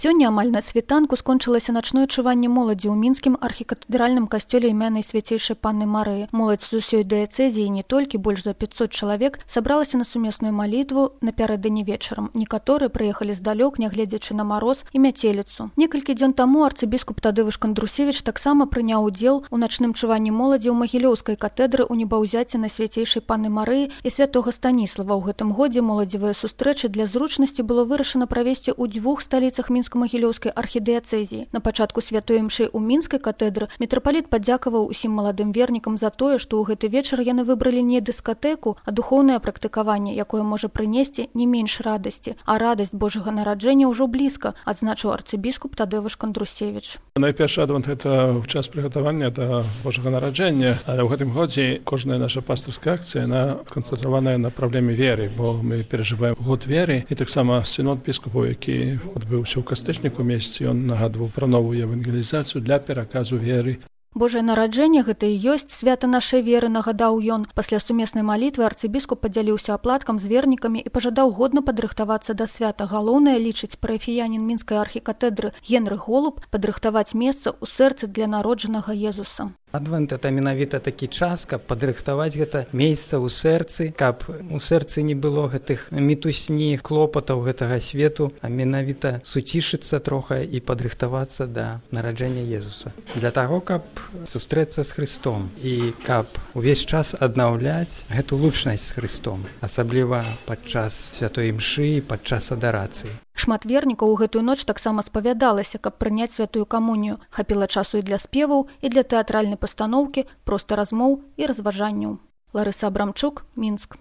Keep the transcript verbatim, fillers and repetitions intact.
Сёння амаль на світанку скончылася начное чуванне моладзі ў мінскім архікатэдральным касцёле імянай свяцейшай панны Марыі. Моладзь з усёй дыяцэзіі, не толькі больш за пятьсот чалавек, сабралася на сумесную малітву напярэдадні вечарам. Некаторыя прыехалі здалёк, нягледзячы на мароз і мяцеліцу. Некалькі дзён таму арцыбіскуп Тадэвыш Кандрусевіч таксама прыняў удзел у начным чуванні моладзі ў Магілёўскай катедры ў небаўзяці на свяцейшай панны Марыі і святога Станіслава. У гэтым годзе моладзевыя сустрэчы для зручнасці было вырашана правесці ў дзвюх сталіцах Мінска-Магілёўскай архідыяцэзіі. На пачатку святой імшы ў мінскай катедры мітрапаліт падзякаваў усім маладым вернікам за тое, што ў гэты вечар яны выбралі не дыскатэку, а духоўнае практыкаванне, якое можа прынесці не менш радасці. А радасць Божага нараджэння ўжо блізка, адзначыў арцыбіскуп Тадэвыш Кандрусевіч. Найпершы адвент гэта час прыгатавання да Божага нараджэння, але ў гэтым годзе кожная наша пастырская акцыя яна сканцэнтраваная на праблеме веры, бо мы перажываем год веры, і таксама сінод біскупаў, які адбыўся ў кастрычніку месяцы, ён нагадваў пра новую евангелізацыю для пераказу веры. Божае нараджэнне гэта і ёсць свята нашай веры, нагадаў ён. Пасля сумеснай малітвы арцыбіскуп падзяліўся аплаткам з вернікамі і пажадаў годна падрыхтавацца да свята. Галоўнае, лічыць парафіянін мінскай архікатэдры Генрых Голуб, падрыхтаваць месца ў сэрцы для народжанага Езуса. Адвент – это менавіта такі час, каб падрыхтаваць гэта месца ў сэрцы, каб у сэрцы не было гэтых мітусні, клопатаў гэтага свету, а менавіта суцішыцца трохи і падрыхтавацца да нараджэння Езуса. Для таго, каб сустрэцца з Христом і каб увесь час аднаўляць гэту лучнасць з Христом, асабліва падчас святой імшы і падчас адарацыі. Шмат вернікаў у гэтую ноч таксама спавядалася, каб прыняць святую камунію. Хапіла часу і для спеваў, і для тэатральнай пастаноўкі, проста размоў і разважанняў. Ларыса Абрамчук, Мінск.